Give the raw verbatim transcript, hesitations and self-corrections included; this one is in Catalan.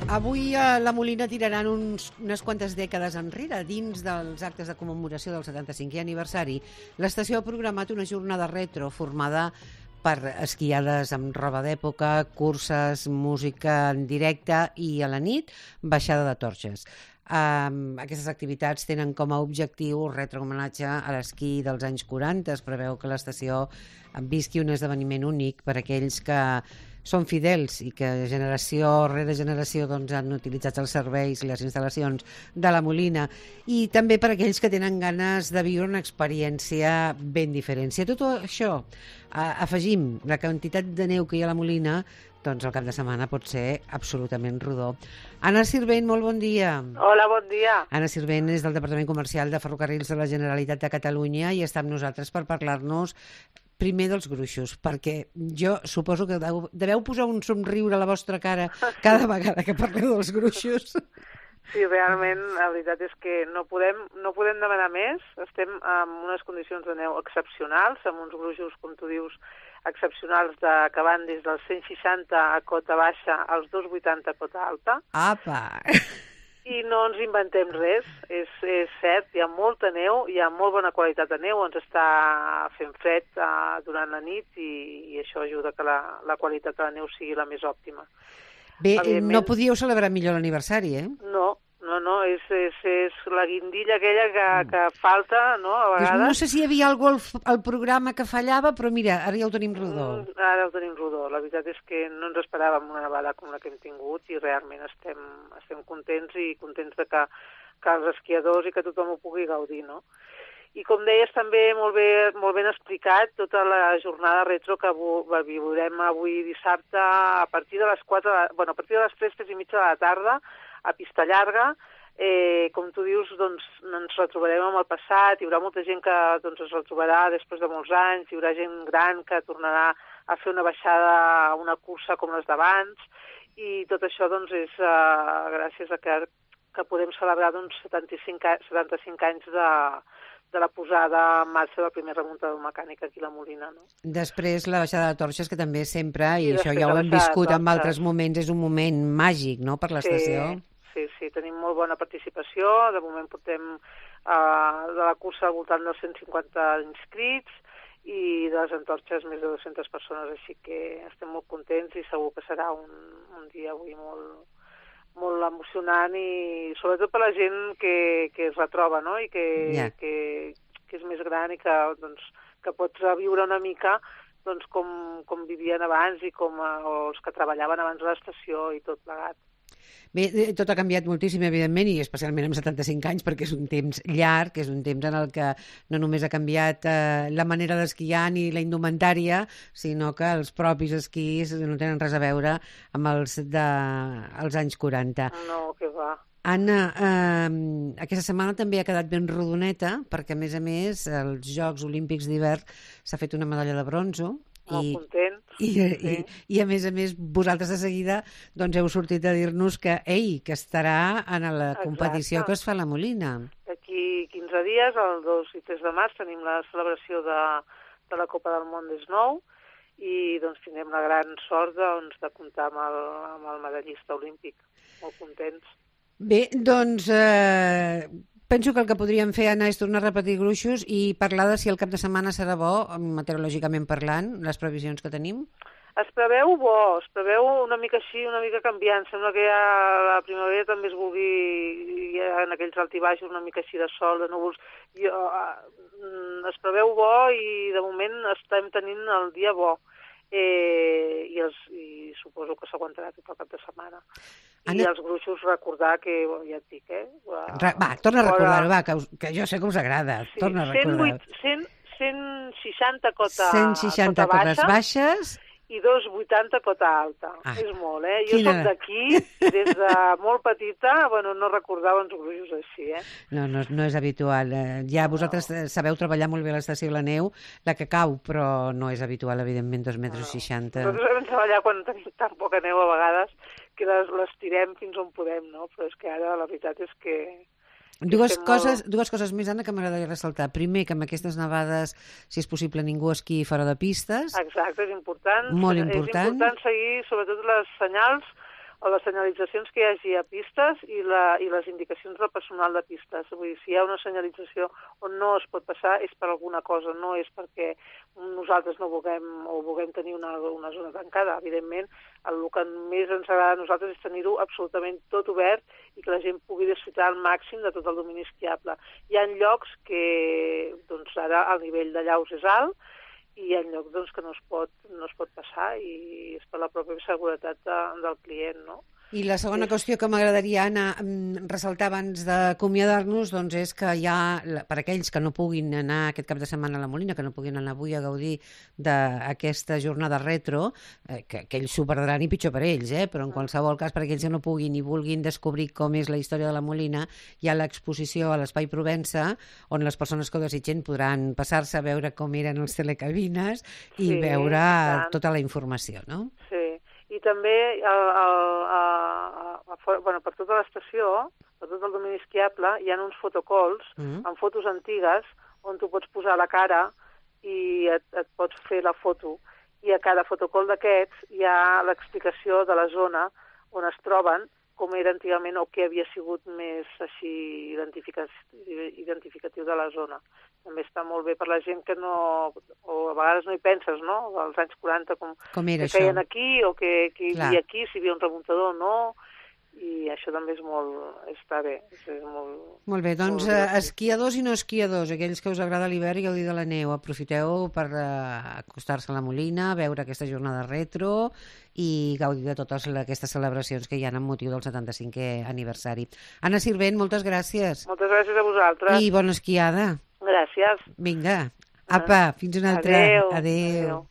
Avui a la Molina tiraran uns, unes quantes dècades enrere. Dins dels actes de commemoració del setanta-cinquè aniversari, l'estació ha programat una jornada retro formada per esquiades amb roba d'època, curses, música en directe i a la nit, baixada de torxes. Um, aquestes activitats tenen com a objectiu retre homenatge a l'esquí dels anys quaranta. Es preveu que l'estació visqui un esdeveniment únic per a aquells que són fidels i que generació rere generació doncs, han utilitzat els serveis i les instal·lacions de la Molina, i també per a aquells que tenen ganes de viure una experiència ben diferent. Si a tot això eh, afegim la quantitat de neu que hi ha a la Molina, doncs el cap de setmana pot ser absolutament rodó. Anna Sirvent, molt bon dia. Hola, bon dia. Anna Sirvent és del Departament Comercial de Ferrocarrils de la Generalitat de Catalunya i està amb nosaltres per parlar-nos primer dels gruixos, perquè jo suposo que deveu, deveu posar un somriure a la vostra cara cada vegada que parleu dels gruixos. Sí, realment, la veritat és que no podem, no podem demanar més. Estem en unes condicions de neu excepcionals, amb uns gruixos, com tu dius, excepcionals de, que van des dels cent seixanta a cota baixa als dos coma vuitanta a cota alta. Apa! I no ens inventem res, és, és cert, hi ha molta neu, hi ha molt bona qualitat de neu, ens està fent fred uh, durant la nit i, i això ajuda que la, la qualitat de la neu sigui la més òptima. Bé, no podíeu celebrar millor l'aniversari, eh? No, no, no, és, és, és la guindilla aquella que, que falta, no?, a vegades. No sé si hi havia algú al, al programa que fallava, però mira, ara ja ho tenim rodó. Mm, ara ho tenim rodó. La veritat és que no ens esperàvem una nevada com la que hem tingut i realment estem, estem contents i contents de que, que els esquiadors i que tothom ho pugui gaudir, no? I com deies també, molt, bé, molt ben explicat, tota la jornada retro que viurem avui dissabte a partir de les quatre, bueno, a partir de les tres, tres i mitja de la tarda, a Pista Llarga. Eh, com tu dius, doncs, ens retrobarem amb el passat, hi haurà molta gent que doncs, es retrobarà després de molts anys, hi haurà gent gran que tornarà a fer una baixada, una cursa com les d'abans, i tot això doncs, és uh, gràcies a que, que podem celebrar doncs, setanta-cinc, setanta-cinc anys de, de la posada en marxa del primer remuntador mecànic aquí a la Molina. No? Després la baixada de torxes, que també sempre, i, I això ja ho hem viscut en altres moments, és un moment màgic, no?, per l'estació. Sí. Sí, sí, tenim molt bona participació. De moment portem uh, de la cursa al voltant dels cent cinquanta inscrits i de les antorxes més de dues-centes persones, així que estem molt contents i segur que serà un, un dia avui molt, molt emocionant i sobretot per la gent que, que es retroba, no?, i que, yeah. que, que és més gran i que, doncs, que pots viure una mica doncs, com, com vivien abans i com uh, o els que treballaven abans a l'estació i tot plegat. Bé, tot ha canviat moltíssim, evidentment, i especialment amb setanta-cinc anys, perquè és un temps llarg, és un temps en el que no només ha canviat eh, la manera d'esquiar ni la indumentària, sinó que els propis esquís no tenen res a veure amb els dels anys quaranta. No, que va. Anna, eh, aquesta setmana també ha quedat ben rodoneta, perquè, a més a més, als Jocs Olímpics d'hivern s'ha fet una medalla de bronzo. Molt I, content. I, sí. i, I, a més a més, vosaltres de seguida doncs, heu sortit a dir-nos que, ei, que estarà en la competició Exacte. Que es fa a la Molina. D'aquí quinze dies, el dos i tres de març, tenim la celebració de, de la Copa del Món d'Snow i doncs, tindrem la gran sort doncs, de comptar amb el, amb el medallista olímpic. Molt contents. Bé, doncs... Eh... Penso que el que podríem fer, Anna, és tornar a repetir gruixos i parlar de si el cap de setmana serà bo, meteorològicament parlant, les previsions que tenim. Es preveu bo, es preveu una mica així, una mica canviant. Sembla que ja la primavera també es vulgui, ja en aquells altibaixos, una mica així de sol, de núvols. I, uh, es preveu bo i de moment estem tenint el dia bo. Eh, i, els, i suposo que s'aguantarà tot el cap de setmana. Anna... I els gruixos recordar que, ja et dic, eh? Va, va torna a recordar-ho, va, que, us, que jo sé que us agrada. Sí, torna a recordar-ho. cent seixanta cota, cent seixanta cota cotes baixes i dos coma vuitanta cota alta. Ah, és molt, eh? Jo quina... soc d'aquí, des de molt petita, bueno, no recordava uns gruixos així, eh? No, no, no és habitual. Ja vosaltres no. sabeu treballar molt bé a l'estació La Neu, la que cau, però no és habitual, evidentment, dos metres seixanta. No. Nosaltres vam treballar quan tenim tan poca neu a vegades que les, les tirem fins on podem, no? Però és que ara la veritat és que... Dues coses, molt... dues coses més, Anna, que m'agradaria ressaltar. Primer, que amb aquestes nevades, si és possible, ningú esquiï fora de pistes. Exacte, és important. Molt important. És important seguir, sobretot, les senyals les senyalitzacions que hi hagi a pistes i, la, i les indicacions del personal de pistes. Vull dir, si hi ha una senyalització on no es pot passar és per alguna cosa, no és perquè nosaltres no vulguem o vulguem tenir una, una zona tancada. Evidentment, el que més ens agrada a nosaltres és tenir-ho absolutament tot obert i que la gent pugui disfrutar al màxim de tot el domini esquiable. Hi ha llocs que doncs, ara el nivell de llaus és alt i hi ha llocs doncs, que no es, pot, no es pot passar i és per la pròpia seguretat de, del client, no? I la segona qüestió que m'agradaria anar ressaltar abans d'acomiadar-nos doncs és que hi ha, per aquells que no puguin anar aquest cap de setmana a la Molina, que no puguin anar avui a gaudir d'aquesta jornada retro, eh, que, que ells s'ho perdran i pitjor per ells, eh? Però en qualsevol cas, per aquells que no puguin i vulguin descobrir com és la història de la Molina, hi ha l'exposició a l'Espai Provença, on les persones que ho desitgen podran passar-se a veure com eren els telecabines i sí, veure tant. Tota la informació, no? Sí. I també el, el, a, a, a, bueno, per tota l'estació, per tot el domini esquiable, hi ha uns fotocols mm. amb fotos antigues on tu pots posar la cara i et, et pots fer la foto. I a cada fotocol d'aquests hi ha l'explicació de la zona on es troben, com era antigament o què havia sigut més així identificatiu de la zona. També està molt bé per la gent que no, o a vegades no hi penses, no? Als anys quaranta, com, com era que això? feien aquí, o que, que hi havia aquí, si hi havia un remuntador o no, i això també és molt, està bé. És molt, molt bé, doncs molt esquiadors i no esquiadors, aquells que us agrada l'hivern i gaudir de la neu, aprofiteu per uh, acostar-se a la Molina, veure aquesta jornada retro i gaudir de totes aquestes celebracions que hi ha amb motiu del setanta-cinquè aniversari. Anna Sirvent, moltes gràcies. Moltes gràcies a vosaltres. I bona esquiada. Gràcies. Vinga, apa, fins una altra. Adéu. Adéu. Adéu.